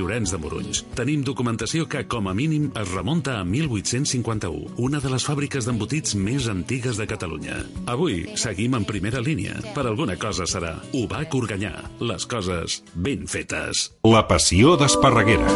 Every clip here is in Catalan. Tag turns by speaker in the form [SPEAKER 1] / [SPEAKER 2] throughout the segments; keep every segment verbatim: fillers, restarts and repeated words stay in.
[SPEAKER 1] Llorenç de Morunys. Tenim documentació que, com a mínim, es remunta a mil vuit-cents cinquanta-u, una de les fàbriques d'embotits més antigues de Catalunya. Avui seguim en primera línia. Per alguna cosa serà. U B A C Organyà. Les coses ben fetes.
[SPEAKER 2] La passió d'Esparreguera.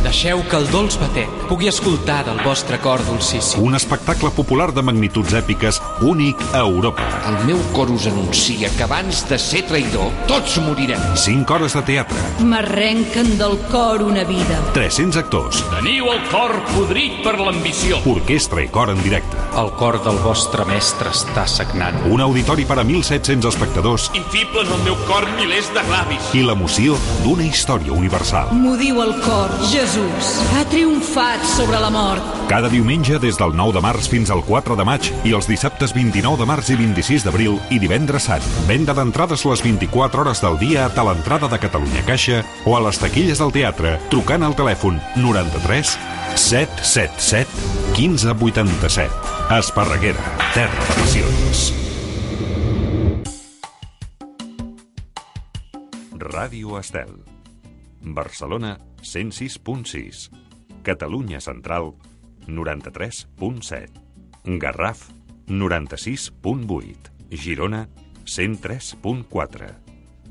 [SPEAKER 3] Deixeu que el dolç batec pugui escoltar del vostre cor dolcíssim.
[SPEAKER 2] Un espectacle popular de magnituds èpiques únic a Europa.
[SPEAKER 4] El meu cor us anuncia que abans de ser traïdor, tots morirem.
[SPEAKER 2] Cinc hores de teatre.
[SPEAKER 5] M'arrenquen del cor una vida.
[SPEAKER 2] tres-cents actors.
[SPEAKER 6] Teniu el cor podrit per l'ambició.
[SPEAKER 2] Orquestra i cor en directe.
[SPEAKER 3] El cor del vostre mestre està sagnant.
[SPEAKER 2] Un auditori per a mil set-cents espectadors.
[SPEAKER 6] Infiblen el meu cor milers de ravis.
[SPEAKER 2] I l'emoció d'una història universal.
[SPEAKER 5] M'ho diu el cor, Jesús. Ha triomfat sobre la mort.
[SPEAKER 2] Cada diumenge des del nou de març fins al quatre de maig i els dissabtes vint-i-nou de març i vint-i-sis d'abril i divendres sant. Venda d'entrades les vint-i-quatre hores del dia a l'entrada de Catalunya Caixa o a les taquilles del teatre trucant al telèfon noranta-tres set set set quinze vuitanta-set. Esparreguera, terra de passions. Ràdio Estel. Barcelona, cent sis punt sis. Catalunya Central, noranta-tres punt set. Garraf, noranta-sis punt vuit. Girona, cent tres punt quatre.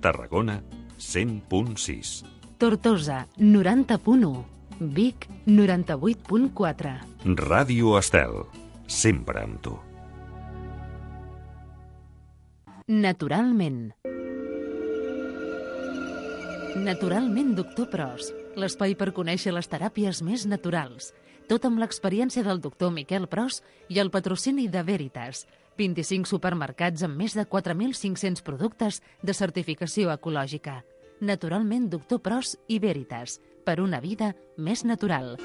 [SPEAKER 2] Tarragona, cent punt sis.
[SPEAKER 7] Tortosa, noranta punt u. Vic, noranta-vuit punt quatre.
[SPEAKER 2] Ràdio Estel, sempre amb tu.
[SPEAKER 7] Naturalment. Naturalment, doctor Pros, l'espai per conèixer les teràpies més naturals. Tot amb l'experiència del doctor Miquel Pros i el patrocini de Veritas. vint-i-cinc supermercats amb més de quatre mil cinc-cents productes de certificació ecològica. Naturalment, doctor Pros i Veritas, per una vida més natural.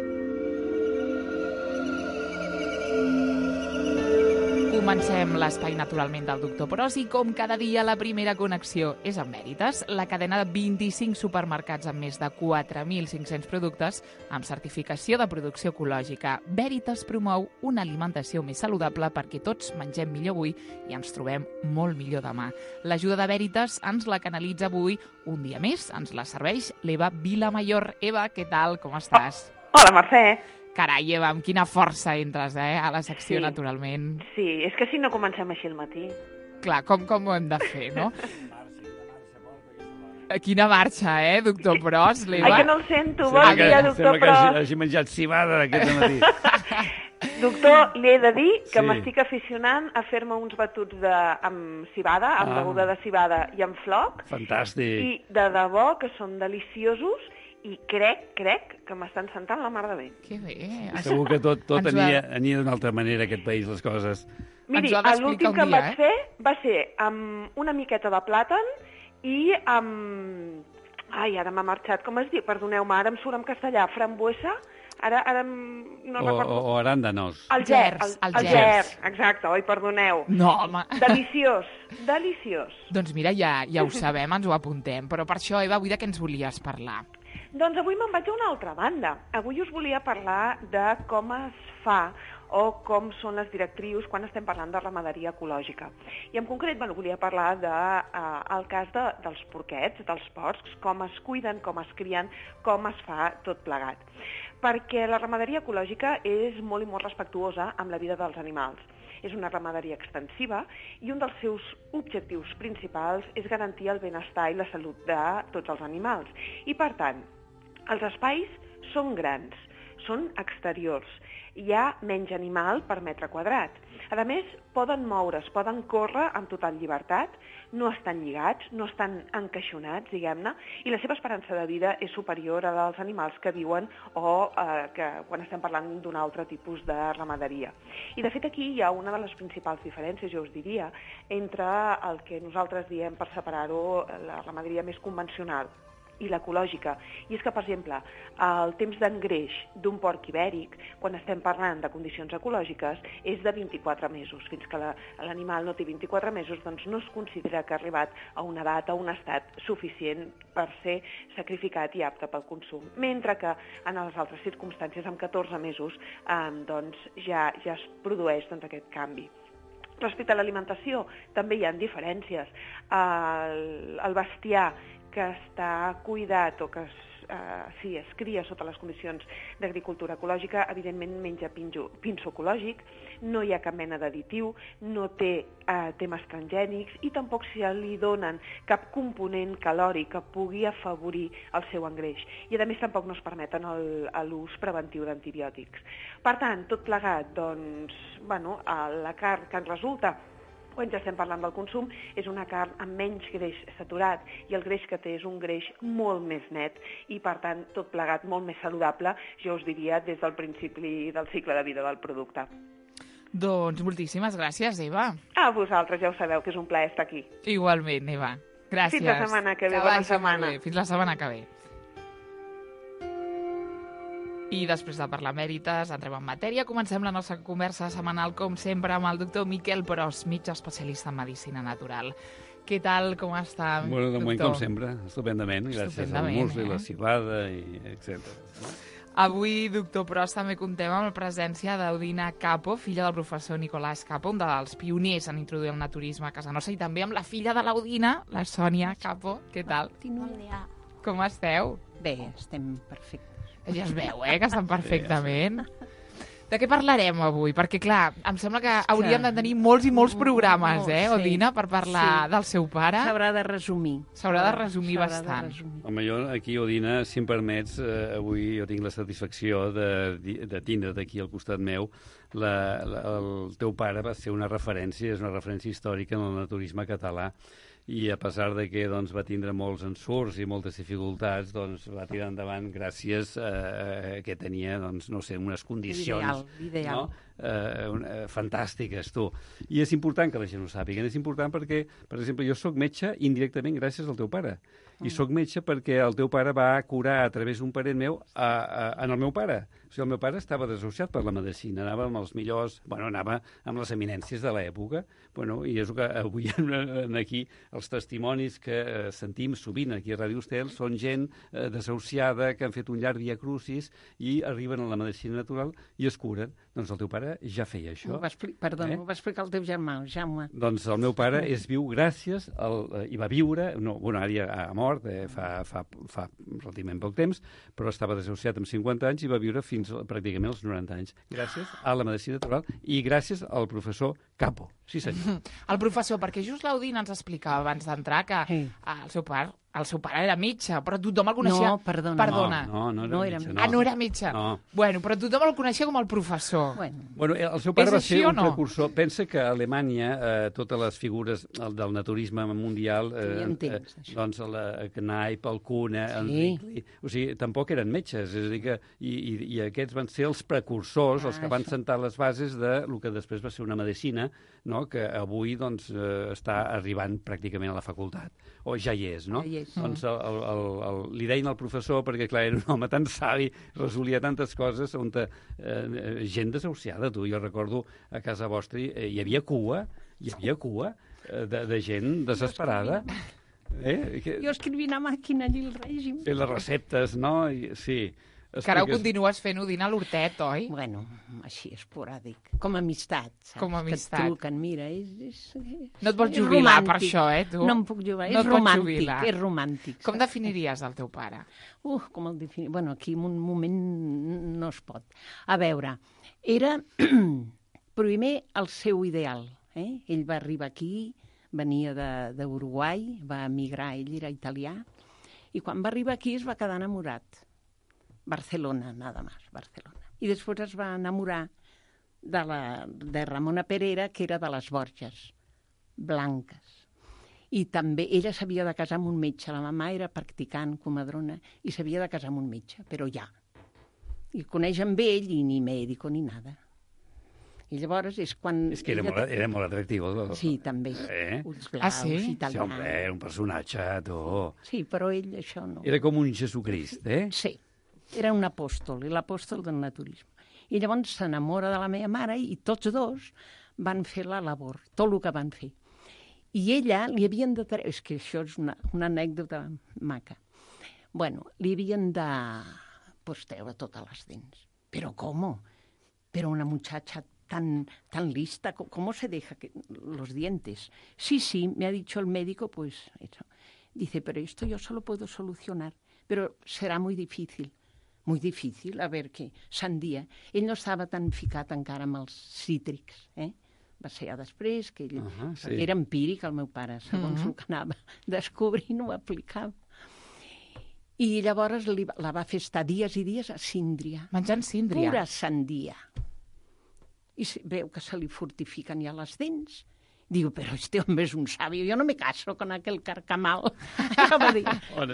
[SPEAKER 8] Comencem l'espai naturalment del doctor Pros i com cada dia la primera connexió és amb Veritas, la cadena de vint-i-cinc supermercats amb més de quatre mil cinc-cents productes amb certificació de producció ecològica. Veritas promou una alimentació més saludable perquè tots mengem millor avui i ens trobem molt millor demà. L'ajuda de Veritas ens la canalitza avui un dia més, ens la serveix l'Eva Vilamayor. Eva, què tal? Com estàs?
[SPEAKER 9] Oh, hola, Mercè.
[SPEAKER 8] Carai, Eva, amb quina força entres, eh, a la secció, sí. Naturalment.
[SPEAKER 9] Sí, és que si no comencem així al matí.
[SPEAKER 8] Clar, com, com ho hem de fer, no? Quina marxa, eh, doctor Pros, l'Eva?
[SPEAKER 9] Ai, que no el sento, bon sí, dia, doctor Pros.
[SPEAKER 10] Sembla que hagi menjat cibada aquest matí.
[SPEAKER 9] Doctor, li he de dir que sí. M'estic aficionant a fer-me uns batuts de, amb cibada, amb ah. beguda de cibada i amb floc.
[SPEAKER 10] Fantàstic.
[SPEAKER 9] I de debò que són deliciosos. I crec, crec, que m'estan sentant la mar de bé.
[SPEAKER 8] Que bé.
[SPEAKER 10] Segur que tot, tot ania, ania d'una altra manera, aquest país, les coses.
[SPEAKER 9] Miri, l'últim que em vaig eh? fer va ser amb una miqueta de plàtan i amb... Ai, ara m'ha marxat. Com es diu? Perdoneu-me, ara em surt en castellà. Frambuesa? Ara, ara no
[SPEAKER 10] o,
[SPEAKER 9] recordo.
[SPEAKER 10] O aràndanos.
[SPEAKER 9] El gers. El, el, el gers, exacte. Oi, perdoneu.
[SPEAKER 8] No, home.
[SPEAKER 9] Deliciós, deliciós.
[SPEAKER 8] Doncs mira, ja, ja ho sabem, ens ho apuntem. Però per això, Eva, avui de què ens volies parlar?
[SPEAKER 9] Doncs avui me'n vaig a una altra banda. Avui us volia parlar de com es fa o com són les directrius quan estem parlant de ramaderia ecològica. I en concret, bueno, volia parlar del de, uh, cas de, dels porquets, dels porcs, com es cuiden, com es crien, com es fa tot plegat. Perquè la ramaderia ecològica és molt i molt respectuosa amb la vida dels animals. És una ramaderia extensiva i un dels seus objectius principals és garantir el benestar i la salut de tots els animals. I, per tant, els espais són grans, són exteriors, hi ha menys animal per metre quadrat. A més, poden moure's, poden córrer amb total llibertat, no estan lligats, no estan encaixonats, diguem-ne, i la seva esperança de vida és superior a la dels animals que viuen o eh, que quan estem parlant d'un altre tipus de ramaderia. I, de fet, aquí hi ha una de les principals diferències, jo us diria, entre el que nosaltres diem, per separar-ho, la ramaderia més convencional i l'ecològica. I és que, per exemple, el temps d'engreix d'un porc ibèric, quan estem parlant de condicions ecològiques, és de vint-i-quatre mesos. Fins que l'animal no té vint-i-quatre mesos, doncs no es considera que ha arribat a una edat, a un estat suficient per ser sacrificat i apte pel consum. Mentre que en les altres circumstàncies, amb catorze mesos, eh, doncs ja, ja es produeix doncs, aquest canvi. Respecte a l'alimentació, també hi ha diferències. El, el bestiar que està cuidat o que es, eh, sí, es cria sota les condicions d'agricultura ecològica, evidentment menja pinjo, pinso ecològic, no hi ha cap mena d'additiu, no té eh, temes transgènics i tampoc si li donen cap component calòric que pugui afavorir el seu engreix. I a més tampoc no es permeten l'ús preventiu d'antibiòtics. Per tant, tot plegat, doncs, bueno, la carn que ens resulta quan ja estem parlant del consum, és una carn amb menys greix saturat i el greix que té és un greix molt més net i, per tant, tot plegat molt més saludable, jo us diria, des del principi del cicle de vida del producte.
[SPEAKER 8] Doncs moltíssimes gràcies, Eva.
[SPEAKER 9] A vosaltres, ja ho sabeu, que és un plaer estar aquí.
[SPEAKER 8] Igualment, Eva. Gràcies.
[SPEAKER 9] Fins la setmana que ve.
[SPEAKER 8] Que
[SPEAKER 9] Bona
[SPEAKER 8] vagi
[SPEAKER 9] setmana.
[SPEAKER 8] molt bé. Fins la setmana que ve. I després de parlar mèrites, entrem en matèria. Comencem la nostra conversa setmanal, com sempre, amb el doctor Miquel Pros, metge especialista en medicina natural. Què tal, com està,
[SPEAKER 10] bueno, de moment,
[SPEAKER 8] doctor?
[SPEAKER 10] com sempre, estupendament, gràcies
[SPEAKER 8] Estupendament,
[SPEAKER 10] al musli,
[SPEAKER 8] eh?
[SPEAKER 10] la cibada, i etcètera.
[SPEAKER 8] Avui, doctor Pros, també contem amb la presència d'Odina Capo, filla del professor Nicolás Capo, un dels pioners en introduir el naturisme a casa nostra, i també amb la filla de l'Odina, la Sònia Capo. Què tal?
[SPEAKER 11] Bon dia.
[SPEAKER 8] Com esteu?
[SPEAKER 11] Bé, estem perfectes.
[SPEAKER 8] Ja es veu, eh, que estan perfectament. De què parlarem avui? Perquè, clar, em sembla que hauríem de tenir molts i molts programes, eh, Odina, per parlar del seu pare.
[SPEAKER 11] S'haurà de resumir.
[SPEAKER 8] S'haurà de resumir bastant.
[SPEAKER 10] Home, jo aquí, Odina, si em permets, eh, avui jo tinc la satisfacció de, de tindre d'aquí al costat meu. La, la, el teu pare va ser una referència, és una referència històrica en el naturisme català, i a pesar de que doncs, va tindre molts ensurts i moltes dificultats, doncs, va tirar endavant gràcies a que tenia, doncs, no sé, unes condicions
[SPEAKER 11] Ideal, ideal.
[SPEAKER 10] no? eh, eh, fantàstiques, tu. I és important que la gent ho sàpiga. És important perquè, per exemple, jo sóc metge indirectament gràcies al teu pare. I sóc metge perquè el teu pare va curar a través d'un parent meu a, a, en el meu pare. O sigui, el meu pare estava desahuciat per la medicina, anava amb els millors, bueno, anava amb les eminències de l'època, bueno, i és el que avui en aquí els testimonis que eh, sentim sovint aquí a Ràdio Estel són gent eh, desahuciada que han fet un llarg via crucis i arriben a la medicina natural i es curen. Doncs el teu pare ja feia això.
[SPEAKER 11] Ho va expli- Perdó,
[SPEAKER 10] Eh?
[SPEAKER 11] ho va explicar el teu germà, el Jaume.
[SPEAKER 10] Doncs el meu pare és viu gràcies al, eh, i va viure, no, bueno, ara ja ha mort eh, fa, fa, fa relativament poc temps, però estava desahuciat amb cinquanta anys i va viure fins a, pràcticament als noranta anys, gràcies a la medicina natural i gràcies al professor Capo. Sí, senyor.
[SPEAKER 8] El professor, perquè just l'Odina ens explicava abans d'entrar que sí. el seu pare el seu pare era metge, però tothom el coneixia...
[SPEAKER 11] No, perdona.
[SPEAKER 8] Perdona.
[SPEAKER 10] No, no, no,
[SPEAKER 11] No
[SPEAKER 10] era
[SPEAKER 11] era
[SPEAKER 10] metge.
[SPEAKER 11] metge.
[SPEAKER 8] Ah, no era metge.
[SPEAKER 10] No.
[SPEAKER 8] Bueno, però tothom el coneixia com el professor.
[SPEAKER 11] Bueno,
[SPEAKER 10] Bueno, el seu pare
[SPEAKER 8] És
[SPEAKER 10] va
[SPEAKER 8] així
[SPEAKER 10] ser
[SPEAKER 8] o
[SPEAKER 10] un
[SPEAKER 8] no?
[SPEAKER 10] precursor. Pensa que a Alemanya eh, totes les figures el, del naturisme mundial, eh,
[SPEAKER 11] Tenien
[SPEAKER 10] eh,
[SPEAKER 11] temps, això.
[SPEAKER 10] doncs la Knaip, el Kuhne, el
[SPEAKER 11] Sí.
[SPEAKER 10] Rickli, o sigui, tampoc eren metges, és a dir que, i, i, i aquests van ser els precursors,
[SPEAKER 11] Ah,
[SPEAKER 10] els que van
[SPEAKER 11] això.
[SPEAKER 10] sentar les bases de el que després va ser una medicina, no?, que avui doncs, eh, està arribant pràcticament a la facultat, o ja hi és, no?
[SPEAKER 11] Ja hi és.
[SPEAKER 10] Doncs el, el, el, el, li deien al professor, perquè clar, era un home tan savi, resolia tantes coses, on te, eh, gent desahuciada, tu. Jo recordo a casa vostra eh, hi havia cua, hi havia cua eh, de, de gent desesperada. Eh? Que,
[SPEAKER 11] jo escrivint a màquina allí el règim.
[SPEAKER 10] eh, les receptes, no? I, sí.
[SPEAKER 8] Que ara ho
[SPEAKER 10] Expliques-
[SPEAKER 8] continues fent, Odina, a l'hortet, oi?
[SPEAKER 11] Bueno, així, esporàdic. Com a amistat, saps?
[SPEAKER 8] Com a amistat.
[SPEAKER 11] Que et truquen, mira, és... és, és
[SPEAKER 8] No et vols
[SPEAKER 11] és
[SPEAKER 8] jubilar per
[SPEAKER 11] romàntic.
[SPEAKER 8] això, eh, tu?
[SPEAKER 11] No em puc jubilar,
[SPEAKER 8] No
[SPEAKER 11] és
[SPEAKER 8] et pots
[SPEAKER 11] romàntic,
[SPEAKER 8] jubilar.
[SPEAKER 11] és romàntic.
[SPEAKER 8] Com definiries el teu pare?
[SPEAKER 11] Uh, com el defini... Bueno, aquí en un moment no es pot. A veure, era primer el seu ideal. Eh? Ell va arribar aquí, venia de- d'Uruguai, va emigrar, ell era italià, i quan va arribar aquí es va quedar enamorat. Barcelona, nada más, Barcelona. I després es va enamorar de, la, de Ramona Perera, que era de les Borges, blanques. I també ella s'havia de casar amb un metge. La mama era practicant, comadrona, i s'havia de casar amb un metge, però ja. I coneix amb ell i ni mèdico ni nada. I llavors és quan...
[SPEAKER 10] És que era,
[SPEAKER 11] ella-
[SPEAKER 10] molt, era molt atractiu. El,
[SPEAKER 11] Sí, també.
[SPEAKER 10] Eh?
[SPEAKER 11] Ulls blaus,
[SPEAKER 8] Ah, sí?
[SPEAKER 11] italians.
[SPEAKER 10] Sí, home, era un personatge, tu.
[SPEAKER 11] Sí, però ell això no.
[SPEAKER 10] Era com un Jesucrist, eh?
[SPEAKER 11] Sí, era un apòstol, l'apòstol del naturisme. I llavors s'enamora de la meva mare i tots dos van fer la labor, tot el que van fer. I ella li havien de treure... És que això és una, una anècdota maca. Bueno, li havien de pues, treure totes les dents. Però com? Però una muchacha tan, tan lista, ¿cómo se deja que, los dientes? Sí, sí, me ha dicho el médico, pues eso. Dice, pero esto yo solo puedo solucionar però serà molt difícil. Molt difícil, a veure què, sandía. Ell no estava tan ficat encara amb els cítrics, eh? Va ser ja després, que ell, uh -huh, sí. Era empíric, el meu pare, segons uh -huh. el que anava descobrint, ho aplicava. I llavors li, la va fer estar dies i dies a síndria.
[SPEAKER 8] Menjant síndria.
[SPEAKER 11] Pura sandia. I se, veu que se li fortifiquen ja les dents. Digo, però este hombre és un sabio, yo no me caso con aquel carcamal.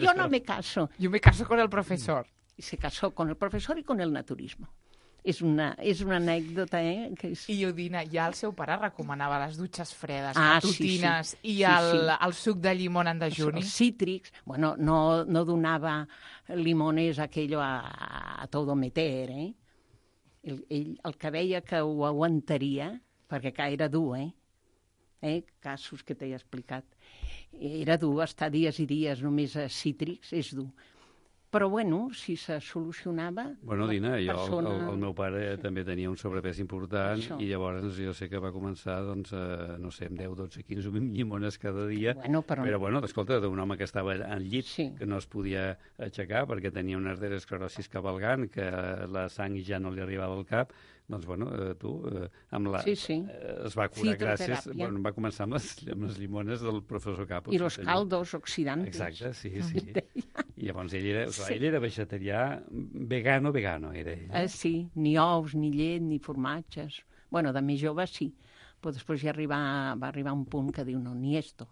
[SPEAKER 11] Yo no me caso.
[SPEAKER 8] Yo me caso con el profesor.
[SPEAKER 11] Y se casó con el profesor y con el naturismo. És una, és una anècdota, eh? Que és...
[SPEAKER 8] I Udina, ja el seu pare recomanava les dutxes fredes,
[SPEAKER 11] ah,
[SPEAKER 8] matutines,
[SPEAKER 11] sí, sí.
[SPEAKER 8] i
[SPEAKER 11] sí,
[SPEAKER 8] el,
[SPEAKER 11] sí.
[SPEAKER 8] el suc de llimón en dejuni.
[SPEAKER 11] Els cítrics, bueno, no, no donava limones aquello a, a todo meter, eh? Ell, ell, el que veia que ho aguantaria, perquè que era dur, eh? eh? Casos que t'he explicat. Era dur, estar dies i dies només a cítrics, és dur. Però, bueno, si se solucionava...
[SPEAKER 10] Bueno, Dina, jo,
[SPEAKER 11] persona...
[SPEAKER 10] el, el meu pare també tenia un sobrepès important
[SPEAKER 11] Això.
[SPEAKER 10] I llavors jo sé que va començar, doncs, eh, no sé, amb deu, dotze, quinze, vint llimones cada dia.
[SPEAKER 11] Bueno, però...
[SPEAKER 10] però, bueno, escolta, d'un home que estava al llit,
[SPEAKER 11] sí.
[SPEAKER 10] que no es podia aixecar perquè tenia una arteriosclerosi cabalgant, que la sang ja no li arribava al cap, doncs, bueno, eh, tu, eh, amb la...
[SPEAKER 11] Sí, sí.
[SPEAKER 10] Eh, es va curar gràcies... Bueno, va començar amb les, amb les llimones del professor Capos.
[SPEAKER 11] I los caldos oxidantes.
[SPEAKER 10] Exacte, sí, sí. I llavors ell era, o sigui, ell era vegetarià, vegano, vegano, era ell.
[SPEAKER 11] Eh, sí, ni ous, ni llet, ni formatges. Bueno, de més jove sí, però després ja arribar, va arribar un punt que diu, no, ni esto.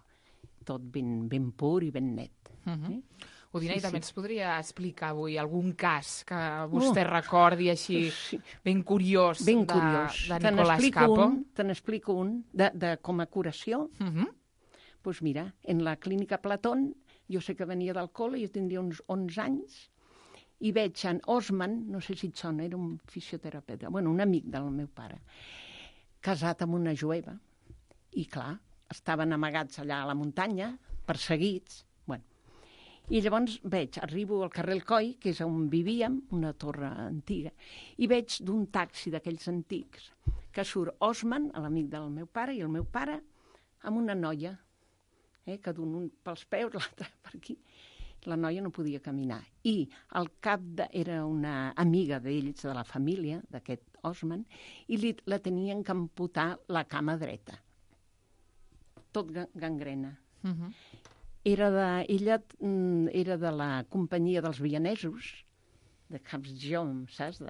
[SPEAKER 11] Tot ben, ben pur i ben net.
[SPEAKER 8] Uh -huh. eh? Udina,
[SPEAKER 11] sí,
[SPEAKER 8] i també
[SPEAKER 11] sí.
[SPEAKER 8] ens podria explicar avui algun cas que vostè oh. recordi així sí. ben curiós,
[SPEAKER 11] ben
[SPEAKER 8] de,
[SPEAKER 11] curiós.
[SPEAKER 8] de Nicolás Capo?
[SPEAKER 11] Te n'explico un, de, de, com a curació.
[SPEAKER 8] Uh -huh.
[SPEAKER 11] Pues mira, en la clínica Platón, jo sé que venia del col·le, jo tindria uns onze anys, i veig en Osman, no sé si et sona, era un fisioterapeuta, bueno, un amic del meu pare, casat amb una jueva, i clar, estaven amagats allà a la muntanya, perseguits, bueno. I llavors veig, arribo al carrer El Coi, que és on vivíem, una torre antiga, i veig d'un taxi d'aquells antics, que surt Osman, l'amic del meu pare, i el meu pare, amb una noia, eh, que d'un un pels peus, l'altre per aquí. La noia no podia caminar. I al cap de, era una amiga d'ells, de la família, d'aquest Osman, i li, la tenien que amputar la cama dreta. Tot gangrena.
[SPEAKER 8] Uh -huh.
[SPEAKER 11] Era de, ella mm, era de la companyia dels vienesos, de Capsjom, saps? De...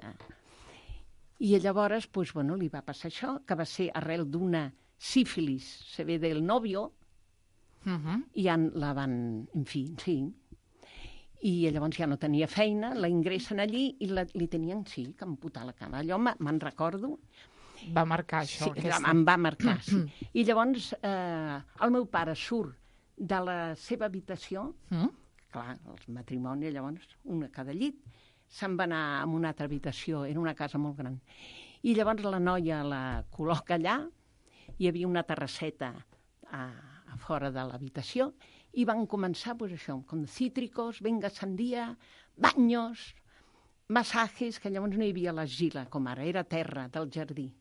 [SPEAKER 11] I llavors, pues, bueno, li va passar això, que va ser arrel d'una sífilis, se ve del novio,
[SPEAKER 8] uh -huh.
[SPEAKER 11] i ja la van, en fi, sí. I llavors ja no tenia feina, la ingressen allí i la, li tenien, sí, que amputar la cama. Allò me'n recordo.
[SPEAKER 8] Va marcar això.
[SPEAKER 11] Sí,
[SPEAKER 8] aquesta...
[SPEAKER 11] em va marcar, sí. I llavors eh, el meu pare surt de la seva habitació,
[SPEAKER 8] mm?
[SPEAKER 11] clar, els matrimonis, llavors, una a cada llit, se'n va anar a una altra habitació, era una casa molt gran. I llavors la noia la col·loca allà, hi havia una terrasseta a, a fora de l'habitació, i van començar, pues, això, com cítricos, venga sandía, baños, massajes, que llavors no hi havia l'argila, com ara, era terra del jardí.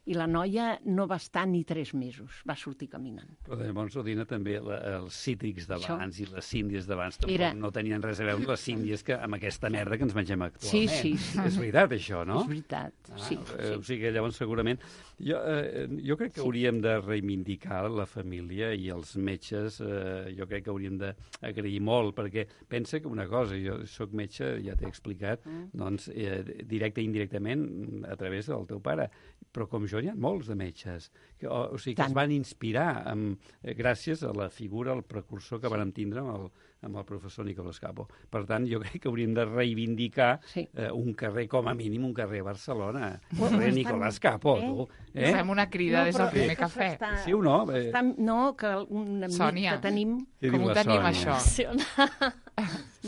[SPEAKER 11] I la noia no va estar ni tres mesos, va sortir caminant.
[SPEAKER 10] Però llavors, Odina, també la, els cítrics d'abans i les síndies d'abans tampoc
[SPEAKER 11] Era...
[SPEAKER 10] no tenien res a veure amb les síndies que amb aquesta merda que ens mengem actualment.
[SPEAKER 11] Sí, sí, sí.
[SPEAKER 10] És veritat, això, no?
[SPEAKER 11] És veritat,
[SPEAKER 10] ah,
[SPEAKER 11] sí,
[SPEAKER 10] eh,
[SPEAKER 11] sí.
[SPEAKER 10] O sigui, llavors, segurament... Jo, eh, jo crec que sí. hauríem de reivindicar la família i els metges, eh, jo crec que hauríem d'agrair molt, perquè pensa que una cosa, jo sóc metge, ja t'he explicat, mm. doncs, eh, directe i indirectament a través del teu pare, però com jo n'hi ha molts de metges, que, o, o sigui, que es van inspirar amb, eh, gràcies a la figura, al precursor que sí. van tindre amb el, amb el professor Nicolás Capo. Per tant, jo crec que hauríem de reivindicar sí. eh, un carrer, com a mínim, un carrer a Barcelona. Un carrer Nicolás Capo, eh? tu.
[SPEAKER 8] Eh? Fem una crida no, des del primer cafè.
[SPEAKER 11] Està,
[SPEAKER 10] sí o no? Eh...
[SPEAKER 11] Està, no, que un amic Sònia. que tenim...
[SPEAKER 8] Com ho tenim,
[SPEAKER 10] Sònia?
[SPEAKER 8] això?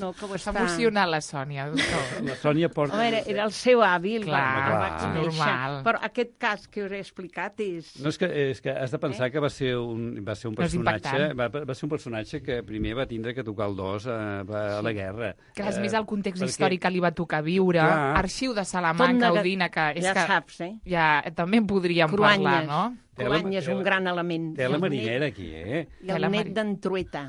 [SPEAKER 11] No, que ho
[SPEAKER 8] està... S'ha emocionat la Sònia, doctor.
[SPEAKER 10] La Sònia porta...
[SPEAKER 11] Home, era, era el seu avi, el
[SPEAKER 8] clar,
[SPEAKER 11] va,
[SPEAKER 8] clar,
[SPEAKER 11] va
[SPEAKER 8] normal.
[SPEAKER 11] Però aquest cas que us he explicat és...
[SPEAKER 10] No, és que, és que has de pensar eh? que va ser un, va ser un personatge va, va ser un personatge que primer va tindre que tocar el dos a, a la guerra.
[SPEAKER 8] Que és
[SPEAKER 10] eh,
[SPEAKER 8] més el context
[SPEAKER 10] perquè...
[SPEAKER 8] històric que li va tocar viure. Clar. Arxiu de Salamanca, Udina, que és
[SPEAKER 11] ja
[SPEAKER 8] que
[SPEAKER 11] saps, eh?
[SPEAKER 8] ja també en podríem
[SPEAKER 11] Cruanyes.
[SPEAKER 8] parlar, no?
[SPEAKER 11] Cruanyes és un gran element.
[SPEAKER 10] Té la marinera aquí, eh?
[SPEAKER 11] I el net d'en Trueta.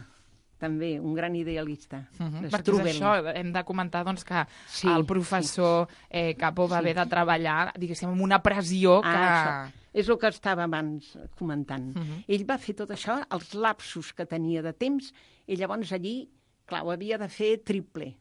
[SPEAKER 11] també, un gran idealista.
[SPEAKER 8] Uh -huh. Perquè és això, hem de comentar doncs, que
[SPEAKER 11] sí,
[SPEAKER 8] el professor sí. eh, Capó va sí. haver de treballar, diguéssim, amb una pressió que...
[SPEAKER 11] Ah, és el que estava abans comentant.
[SPEAKER 8] Uh -huh.
[SPEAKER 11] Ell va fer tot això, els lapsos que tenia de temps, i llavors allí, clar, ho havia de fer triple,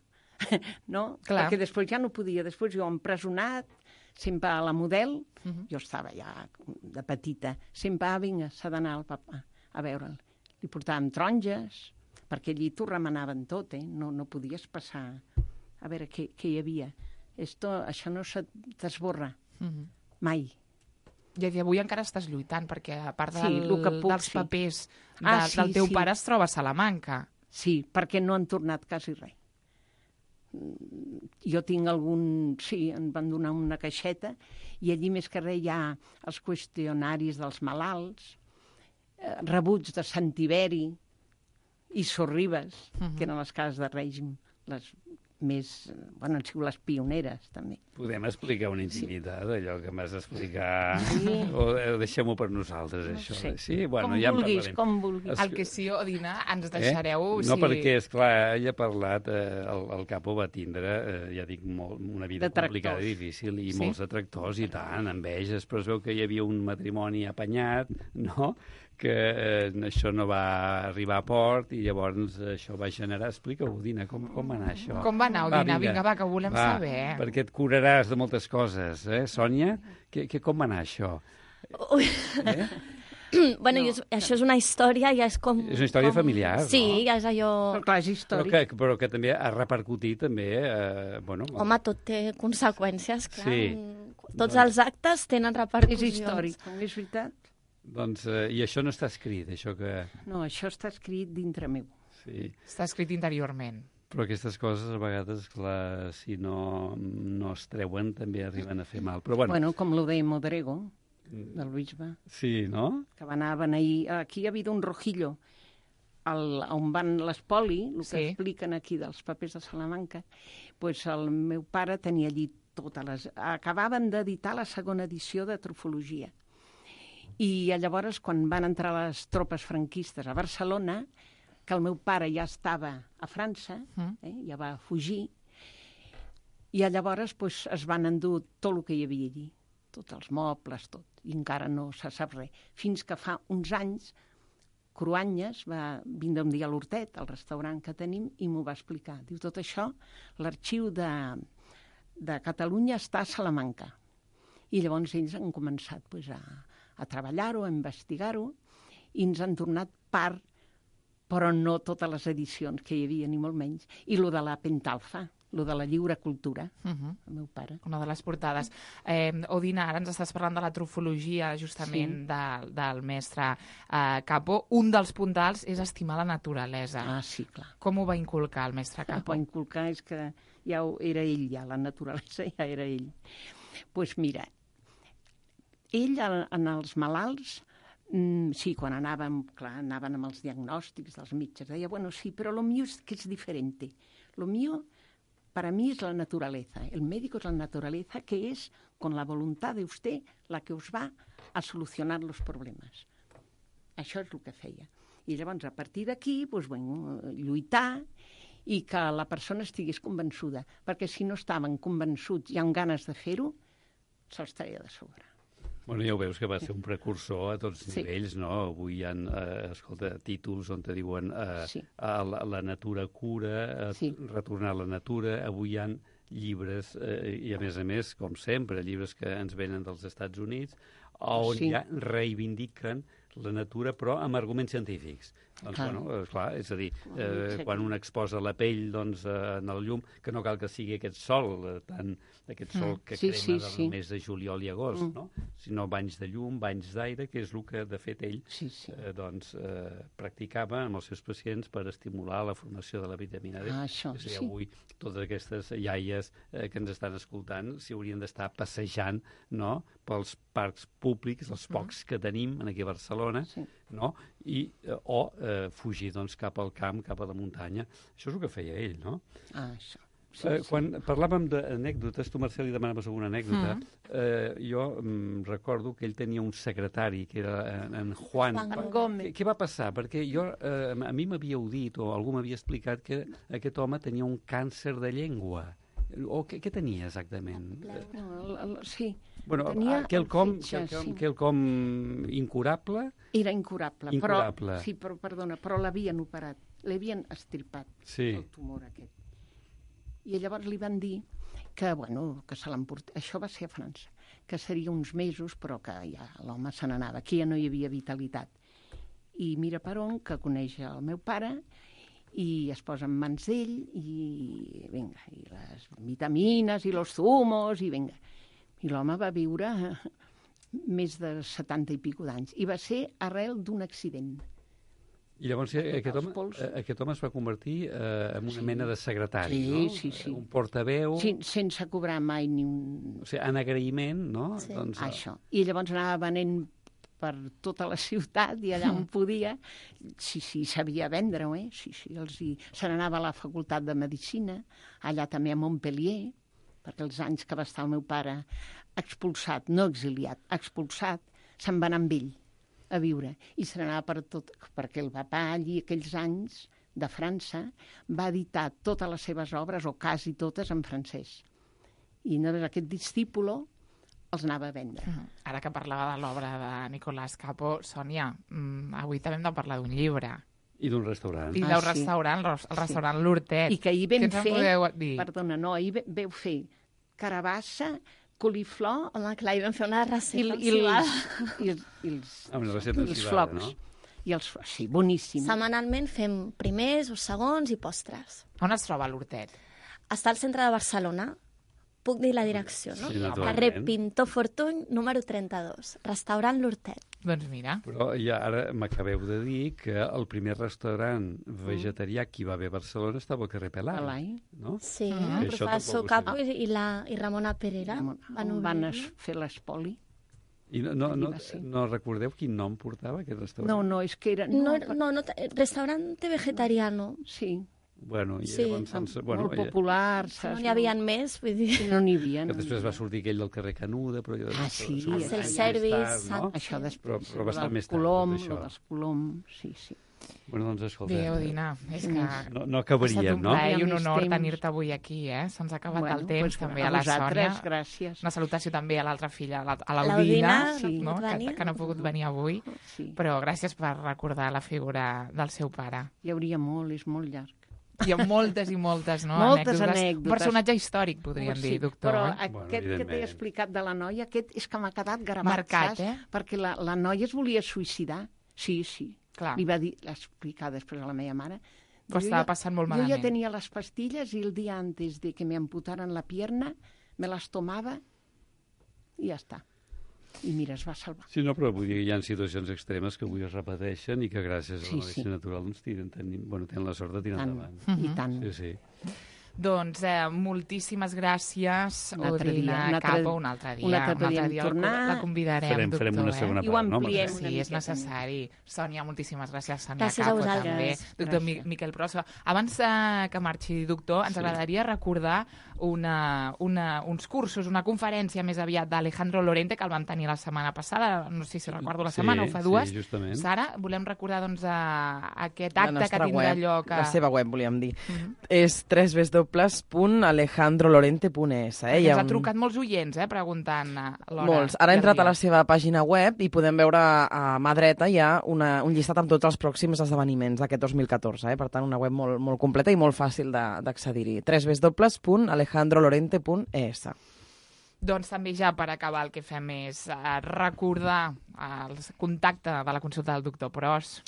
[SPEAKER 11] no?
[SPEAKER 8] Clar.
[SPEAKER 11] Perquè després ja no podia. Després jo empresonat, sempre a la Model,
[SPEAKER 8] uh -huh.
[SPEAKER 11] jo estava ja de petita, sempre, ah, vinga, s'ha d'anar el papa a veure'l. Li portàvem taronges, perquè allí t'ho remanaven tot, eh? No, no podies passar a veure què, què hi havia. Esto, això no se t'esborra,
[SPEAKER 8] uh -huh.
[SPEAKER 11] mai.
[SPEAKER 8] I avui encara estàs lluitant, perquè a part del,
[SPEAKER 11] sí, que puc,
[SPEAKER 8] dels
[SPEAKER 11] sí.
[SPEAKER 8] papers de,
[SPEAKER 11] ah, sí,
[SPEAKER 8] del teu
[SPEAKER 11] sí.
[SPEAKER 8] pare es troba a Salamanca.
[SPEAKER 11] Sí, perquè no han tornat quasi res. Jo tinc algun... Sí, em van donar una caixeta i allí més que res hi ha els qüestionaris dels malalts, eh, rebuts de Sant Tiberi i Sorribes, uh -huh. que eren les cases de règim, les més... Bueno, han sigut les pioneres, també.
[SPEAKER 10] Podem explicar una intimitat, sí. allò que m'has d'explicar? Sí. O deixem-ho per nosaltres,
[SPEAKER 11] no
[SPEAKER 10] això?
[SPEAKER 11] Sé.
[SPEAKER 10] Sí, bueno,
[SPEAKER 11] com
[SPEAKER 10] ja
[SPEAKER 11] vulguis,
[SPEAKER 10] en
[SPEAKER 11] com vulguis.
[SPEAKER 8] Es... El que sí, Odina, ens deixareu...
[SPEAKER 10] Eh? No, si... perquè, esclar, ella ha parlat, eh, el, el Capó va tindre, eh, ja dic, molt, una vida complicada i difícil, i sí? molts detractors, i tant, enveges, però es veu que hi havia un matrimoni apanyat, no?, que eh, això no va arribar a port i llavors això va generar... Explica-ho, Odina, com, com va anar això?
[SPEAKER 8] Com va anar, Odina? Va, vinga, vinga, va, que ho volem
[SPEAKER 10] va,
[SPEAKER 8] saber.
[SPEAKER 10] Perquè et curaràs de moltes coses, eh, Sònia? Que, que, com va anar això?
[SPEAKER 12] Ui. Eh? Bueno, no. jo, això és una història, ja és com...
[SPEAKER 10] És una història
[SPEAKER 12] com...
[SPEAKER 10] familiar, no?
[SPEAKER 12] Sí, ja és allò...
[SPEAKER 11] Però clar, és històric.
[SPEAKER 10] Però que, però que també ha repercutit, també... Eh, bueno,
[SPEAKER 12] Home, tot té conseqüències, clar.
[SPEAKER 10] Sí.
[SPEAKER 12] Tots doncs... els actes tenen repercussions.
[SPEAKER 11] És històric, és veritat.
[SPEAKER 10] Doncs, eh, i això no està escrit, això que...
[SPEAKER 11] No, això està escrit dintre meu.
[SPEAKER 10] Sí.
[SPEAKER 8] Està escrit interiorment.
[SPEAKER 10] Però aquestes coses, a vegades, clar, si no, no es treuen, també arriben a fer mal. Però, bueno...
[SPEAKER 11] bueno, com lo de Modrego, del bisbe.
[SPEAKER 10] Sí, no?
[SPEAKER 11] Que va anar a beneir... Aquí ha habido un rojillo, el, on van l'espoli, el que sí. expliquen aquí dels papers de Salamanca, pues el meu pare tenia allí totes les... Acabaven d'editar la segona edició de Trufologia. I llavors, quan van entrar les tropes franquistes a Barcelona, que el meu pare ja estava a França, eh, ja va fugir, i llavors pues, es van endur tot el que hi havia allí, tots els mobles, tot, i encara no se sap res. Fins que fa uns anys, Cruanyes va vindre un dia a l'Hortet, al restaurant que tenim, i m'ho va explicar. Diu, tot això, l'arxiu de, de Catalunya està a Salamanca. I llavors ells han començat pues, a a treballar-ho, a investigar-ho, i ens han tornat part, però no totes les edicions que hi havia, ni molt menys. I lo de la Pentalfa, lo de la lliure cultura, uh -huh. el meu pare.
[SPEAKER 8] Una de les portades. Eh, Odina, ara ens estàs parlant de la trufologia, justament, sí. de, del mestre eh, Capó. Un dels puntals és estimar la naturalesa.
[SPEAKER 11] Ah, sí, clar.
[SPEAKER 8] Com ho va inculcar el mestre Capó?
[SPEAKER 11] Va inculcar és que ja ho, era ell, ja, la naturalesa ja era ell. Doncs pues mira, ell, en els malalts, mm, sí, quan anàvem, clar, anaven amb els diagnòstics dels metges, deia, bueno, sí, però lo mío es que es diferente. Lo mío, para mí, es la naturaleza. El médico es la naturaleza, que es, con la voluntad de usted, la que us va a solucionar los problemes. Això és el que feia. I llavors, a partir d'aquí, doncs, bueno, lluitar i que la persona estigués convençuda, perquè si no estaven convençuts i amb ganes de fer-ho, se'ls treia de sobre.
[SPEAKER 10] Bueno, ja ho veus que va ser un precursor a tots sí. nivells, no? Avui hi ha, eh, escolta, títols on te diuen eh, sí. a la, la natura cura, a sí. retornar a la natura. Avui hi ha llibres, eh, i a més a més, com sempre, llibres que ens venen dels Estats Units, on sí. ja reivindiquen la natura, però amb arguments científics. Doncs, clar. Bueno, clar, és a dir, eh, quan un exposa la pell doncs, eh, en el llum, que no cal que sigui aquest sol, eh, tant aquest sol que
[SPEAKER 11] sí,
[SPEAKER 10] crema
[SPEAKER 11] sí,
[SPEAKER 10] del
[SPEAKER 11] sí.
[SPEAKER 10] mes de juliol i agost, mm. no? Sinó banys de llum, banys d'aire, que és el que, de fet, ell
[SPEAKER 11] sí, sí.
[SPEAKER 10] Eh, doncs, eh, practicava amb els seus pacients per estimular la formació de la vitamina D.
[SPEAKER 11] Ah, això,
[SPEAKER 10] és a dir,
[SPEAKER 11] sí.
[SPEAKER 10] avui totes aquestes iaies eh, que ens estan escoltant s'hi haurien d'estar passejant, no?, pels parcs públics, els pocs que tenim aquí a Barcelona, sí. no?, I, eh, o eh, fugir doncs, cap al camp, cap a la muntanya. Això és el que feia ell, no?
[SPEAKER 11] Ah, això. sí,
[SPEAKER 10] eh,
[SPEAKER 11] sí.
[SPEAKER 10] Quan parlàvem d'anècdotes, tu, Marcel, li demanaves alguna anècdota,
[SPEAKER 11] Mm.
[SPEAKER 10] eh, jo mm, recordo que ell tenia un secretari, que era en, en Juan.
[SPEAKER 11] Juan Gómez.
[SPEAKER 10] Què, què va passar? Perquè jo, eh, a mi m'havíeu dit, o algú m'havia explicat, que aquest home tenia un càncer de llengua. O què, què tenia exactament?
[SPEAKER 11] No, el, el, sí.
[SPEAKER 10] Bueno,
[SPEAKER 11] Tenia
[SPEAKER 10] quelcom,
[SPEAKER 11] el fetge,
[SPEAKER 10] quelcom,
[SPEAKER 11] sí.
[SPEAKER 10] quelcom incurable?
[SPEAKER 11] Era incurable,
[SPEAKER 10] Incurable.
[SPEAKER 11] però, sí, però, perdona, però l'havien operat, l'havien estirpat,
[SPEAKER 10] Sí.
[SPEAKER 11] el tumor aquest. I llavors li van dir que, bueno, que se l'emportés, això va ser a França, que seria uns mesos, però que ja l'home se n'anava, aquí ja no hi havia vitalitat. I mira per on, que coneix el meu pare, i es posa en mans d'ell, i vinga, i les vitamines, i los zumos, i vinga. I l'home va viure més de setanta i pico d'anys. I va ser arrel d'un accident.
[SPEAKER 10] I llavors aquest home, aquest home es va convertir eh, en una
[SPEAKER 11] Sí.
[SPEAKER 10] mena de secretari,
[SPEAKER 11] Sí,
[SPEAKER 10] no?
[SPEAKER 11] sí, sí.
[SPEAKER 10] Un portaveu...
[SPEAKER 11] Sí, sense cobrar mai ni un...
[SPEAKER 10] O sigui, en agraïment, no?
[SPEAKER 11] Sí.
[SPEAKER 10] Doncs,
[SPEAKER 11] Això. I llavors anava venent per tota la ciutat i allà on podia, sí, sí, sabia vendre-ho, eh? Sí, sí, els hi... se n'anava a la facultat de Medicina, allà també a Montpellier, perquè els anys que va estar el meu pare expulsat, no exiliat, expulsat, se'n va anar amb ell a viure. I se n'anava per tot, perquè el papà allí, aquells anys de França, va editar totes les seves obres, o quasi totes, en francès. I llavors aquest discípulo els anava a vendre.
[SPEAKER 8] Mm. Ara que parlava de l'obra de Nicolás Capó, Sònia, mm, avui també hem de parlar d'un llibre.
[SPEAKER 10] I d'un restaurant.
[SPEAKER 8] I
[SPEAKER 11] Ah,
[SPEAKER 8] del
[SPEAKER 11] sí.
[SPEAKER 8] restaurant, el
[SPEAKER 11] Sí.
[SPEAKER 8] restaurant L'Hortet.
[SPEAKER 11] I que ahir vam
[SPEAKER 8] Què ens en
[SPEAKER 11] fer...
[SPEAKER 8] podeu dir?
[SPEAKER 11] Perdona, no, ahir ve- veu fer carabassa, coliflor...
[SPEAKER 12] Home, clar, hi vam fer una
[SPEAKER 11] i,
[SPEAKER 12] recepta
[SPEAKER 11] i,
[SPEAKER 12] encivada.
[SPEAKER 11] els, i, els, i els,
[SPEAKER 10] Ah, una recepta
[SPEAKER 11] i els
[SPEAKER 10] encivada,
[SPEAKER 11] flocs.
[SPEAKER 10] no?
[SPEAKER 11] I els, sí, boníssim.
[SPEAKER 12] Setmanalment fem primers o segons i postres.
[SPEAKER 8] On es troba l'Hortet?
[SPEAKER 12] Està al centre de Barcelona. Puc dir la direcció, no?
[SPEAKER 10] Sí, naturalment.
[SPEAKER 12] Carrer Pintor Fortuny, número trenta-dos. Restaurant L'Hortet.
[SPEAKER 8] Doncs mira.
[SPEAKER 10] Però ja ara m'acabeu de dir que el primer restaurant vegetarià que hi va haver a Barcelona estava al carrer Pelai,
[SPEAKER 11] Pelai.
[SPEAKER 10] no?
[SPEAKER 12] Sí,
[SPEAKER 10] Que
[SPEAKER 12] el
[SPEAKER 10] això
[SPEAKER 12] professor
[SPEAKER 10] tampoc ho
[SPEAKER 12] Capo
[SPEAKER 10] sé.
[SPEAKER 12] i, la, i Ramona Perera
[SPEAKER 11] On
[SPEAKER 12] van
[SPEAKER 11] van
[SPEAKER 12] obrir.
[SPEAKER 11] es fer l'espoli.
[SPEAKER 10] I no, no,
[SPEAKER 11] Allí
[SPEAKER 10] no,
[SPEAKER 11] va ser.
[SPEAKER 10] no recordeu quin nom portava aquest restaurant?
[SPEAKER 11] No, no, és que era...
[SPEAKER 12] No, no, no, restaurante vegetariano.
[SPEAKER 11] Sí,
[SPEAKER 10] Bueno, i
[SPEAKER 12] Sí.
[SPEAKER 10] llavors... Ens, bueno,
[SPEAKER 11] molt
[SPEAKER 10] eh,
[SPEAKER 11] popular,
[SPEAKER 12] No
[SPEAKER 11] saps?
[SPEAKER 12] n'hi havia més, vull dir...
[SPEAKER 11] No n'hi havia.
[SPEAKER 10] que
[SPEAKER 11] No
[SPEAKER 10] després va sortir aquell del carrer Canuda, però... allò
[SPEAKER 11] Ah,
[SPEAKER 10] després-
[SPEAKER 11] sí,
[SPEAKER 10] això va
[SPEAKER 11] el
[SPEAKER 10] ser més
[SPEAKER 12] self-service,
[SPEAKER 10] tard, no?
[SPEAKER 11] Això després,
[SPEAKER 10] Però, però bastant
[SPEAKER 11] del
[SPEAKER 10] més tard,
[SPEAKER 11] Colom,
[SPEAKER 10] tot això.
[SPEAKER 11] lo dels Colom, sí, sí.
[SPEAKER 10] Bueno, doncs escolta...
[SPEAKER 8] Bé, Odina, és que
[SPEAKER 10] No, no
[SPEAKER 8] ha estat
[SPEAKER 10] acabaríem,
[SPEAKER 8] un
[SPEAKER 10] no?
[SPEAKER 8] plaer i un
[SPEAKER 11] Hi ha més
[SPEAKER 8] honor
[SPEAKER 11] temps.
[SPEAKER 8] tenir-te avui aquí, eh? Se'ns ha acabat
[SPEAKER 11] Bueno,
[SPEAKER 8] el temps,
[SPEAKER 11] pues,
[SPEAKER 8] també
[SPEAKER 11] a
[SPEAKER 8] a la
[SPEAKER 11] vosaltres,
[SPEAKER 8] Sònia.
[SPEAKER 11] gràcies.
[SPEAKER 8] Una salutació també a l'altra filla, a la- a
[SPEAKER 12] L'Aldina,
[SPEAKER 8] l'Aldina,
[SPEAKER 12] sí.
[SPEAKER 8] no?
[SPEAKER 12] no ha pogut
[SPEAKER 8] que,
[SPEAKER 12] venir.
[SPEAKER 8] que no ha pogut venir avui,
[SPEAKER 11] Sí.
[SPEAKER 8] però gràcies per recordar la figura del seu pare.
[SPEAKER 11] Hi hauria molt, és molt llarg.
[SPEAKER 8] Hi ha moltes i moltes, no?
[SPEAKER 11] Moltes
[SPEAKER 8] Un
[SPEAKER 11] anècdotes.
[SPEAKER 8] personatge històric, podríem
[SPEAKER 11] Sí,
[SPEAKER 8] dir, doctor.
[SPEAKER 11] Però
[SPEAKER 8] eh?
[SPEAKER 11] aquest
[SPEAKER 10] Bueno,
[SPEAKER 11] que t'he
[SPEAKER 10] evidentment.
[SPEAKER 11] explicat de la noia, aquest és que m'ha quedat gravat,
[SPEAKER 8] Marcat,
[SPEAKER 11] saps?
[SPEAKER 8] eh?
[SPEAKER 11] Perquè la, la noia es volia suïcidar. Sí, sí.
[SPEAKER 8] Clar.
[SPEAKER 11] Li va dir, l'explicar després a la meva mare.
[SPEAKER 8] Però
[SPEAKER 11] Jo
[SPEAKER 8] estava
[SPEAKER 11] ja-
[SPEAKER 8] passant molt
[SPEAKER 11] Yo
[SPEAKER 8] malament.
[SPEAKER 11] ya tenía las pastillas y el día antes de que me amputaran la pierna me las tomaba y ya está. I mira, es va salvar.
[SPEAKER 10] Sí, no, però vull dir que hi ha situacions extremes que avui es repeteixen i que gràcies a
[SPEAKER 11] Sí,
[SPEAKER 10] la medicina
[SPEAKER 11] sí.
[SPEAKER 10] natural doncs, tiren, tenen, bueno, tenen la sort de tirar
[SPEAKER 11] Tant,
[SPEAKER 10] endavant.
[SPEAKER 11] i tant.
[SPEAKER 10] Sí, sí.
[SPEAKER 8] Doncs eh, moltíssimes gràcies,
[SPEAKER 11] Un altre
[SPEAKER 8] Odina
[SPEAKER 11] dia, un altre-
[SPEAKER 8] Capo, un altre dia.
[SPEAKER 11] un altre podíem
[SPEAKER 8] el-
[SPEAKER 11] tornar.
[SPEAKER 8] La convidarem,
[SPEAKER 10] Farem-
[SPEAKER 8] doctor.
[SPEAKER 10] farem una
[SPEAKER 8] eh?
[SPEAKER 10] segona
[SPEAKER 11] I ho
[SPEAKER 10] part, no?
[SPEAKER 11] ampliem
[SPEAKER 10] Mercè?
[SPEAKER 11] una
[SPEAKER 8] Sí, és
[SPEAKER 11] miqueta
[SPEAKER 8] necessari. Sònia, moltíssimes gràcies. Sònia
[SPEAKER 12] Gràcies a
[SPEAKER 8] Capo,
[SPEAKER 12] vosaltres.
[SPEAKER 8] també. Doctor Mi
[SPEAKER 11] Gràcies.
[SPEAKER 8] Miquel Prosa. Abans eh, que marxi, doctor, ens
[SPEAKER 10] Sí.
[SPEAKER 8] agradaria recordar una, una, uns cursos, una conferència més aviat d'Alejandro Lorente, que el vam tenir la setmana passada, no sé si recordo la
[SPEAKER 10] Sí,
[SPEAKER 8] setmana o fa dues.
[SPEAKER 10] sí, justament.
[SPEAKER 8] Sara, volem recordar doncs, a, aquest
[SPEAKER 13] La
[SPEAKER 8] acte que
[SPEAKER 13] nostra
[SPEAKER 8] tindrà
[SPEAKER 13] web,
[SPEAKER 8] lloc a...
[SPEAKER 13] La seva web, volíem dir.
[SPEAKER 8] Mhm.
[SPEAKER 13] És w w w punt alejandro lorente punt es. Eh?
[SPEAKER 8] Perquè
[SPEAKER 13] Hi ha
[SPEAKER 8] ens ha
[SPEAKER 13] un-
[SPEAKER 8] trucat molts oients, eh, preguntant eh, l'hora.
[SPEAKER 13] Molts. Ara
[SPEAKER 8] i
[SPEAKER 13] he
[SPEAKER 8] el
[SPEAKER 13] entrat a
[SPEAKER 8] dia.
[SPEAKER 13] la seva pàgina web i podem veure a mà dreta hi ha una, un llistat amb tots els pròxims esdeveniments d'aquest dos mil catorze. Eh? Per tant, una web molt, molt completa i molt fàcil de- d'accedir-hi. w w w punt alejandro lorente punt es.
[SPEAKER 8] Doncs també ja per acabar el que fem és eh, recordar el contacte de la consulta del doctor Pros.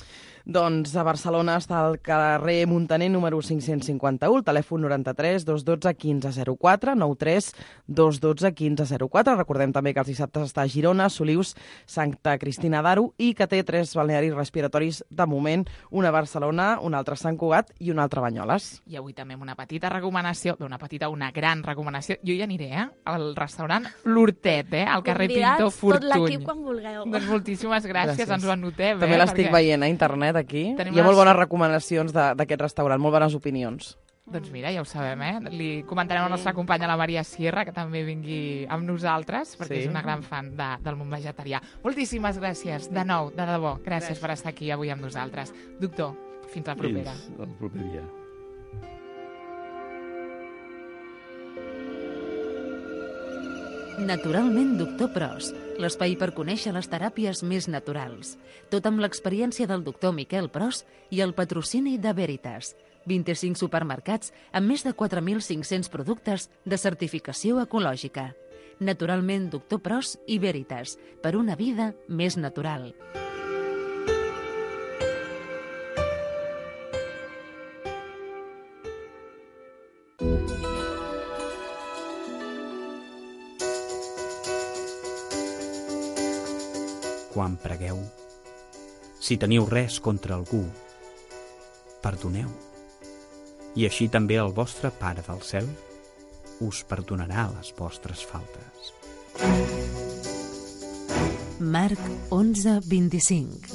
[SPEAKER 13] Doncs a Barcelona està al carrer Muntaner número cinc-cents cinquanta-u, el telèfon noranta-tres dos dotze quinze zero quatre, nou tres dos dotze quinze zero quatre. Recordem també que els dissabtes està a Girona, Solius, Santa Cristina d'Aro i que té tres balnearis respiratoris de moment, una a Barcelona, un altre a Sant Cugat i un altre a Banyoles.
[SPEAKER 8] I avui també amb una petita recomanació, bé, una petita, una gran recomanació. Jo hi aniré, eh? Al restaurant L'Hortet, eh? Al carrer
[SPEAKER 12] Convidats,
[SPEAKER 8] Pintor
[SPEAKER 12] tot
[SPEAKER 8] Fortuny.
[SPEAKER 12] l'equip quan vulgueu.
[SPEAKER 8] Doncs moltíssimes gràcies,
[SPEAKER 13] Gràcies.
[SPEAKER 8] ens ho anotem,
[SPEAKER 13] També
[SPEAKER 8] eh?
[SPEAKER 13] l'estic
[SPEAKER 8] Perquè
[SPEAKER 13] veient a internet aquí.
[SPEAKER 8] Tenim
[SPEAKER 13] Hi ha molt
[SPEAKER 8] les-
[SPEAKER 13] bones recomanacions de- d'aquest restaurant, molt bones opinions.
[SPEAKER 8] Doncs mira, ja ho sabem, eh? Li comentarem a la nostra companya, la Maria Sierra, que també vingui amb nosaltres, perquè
[SPEAKER 13] Sí.
[SPEAKER 8] és una gran fan de, del món vegetarià. Moltíssimes gràcies, de nou, de debò. Gràcies, gràcies per estar aquí avui amb nosaltres. Doctor, fins la propera.
[SPEAKER 10] Fins el proper dia.
[SPEAKER 7] Naturalment, doctor Pros, l'espai per conèixer les teràpies més naturals. Tot amb l'experiència del doctor Miquel Pros i el patrocini de Veritas. vint-i-cinc supermercats amb més de quatre mil cinc-cents productes de certificació ecològica. Naturalment, doctor Pros i Veritas, per una vida més natural.
[SPEAKER 14] Quan pregueu, si teniu res contra algú, perdoneu. I així també el vostre Pare del Cel us perdonarà les vostres faltes.
[SPEAKER 7] Marc onze vint-i-cinc.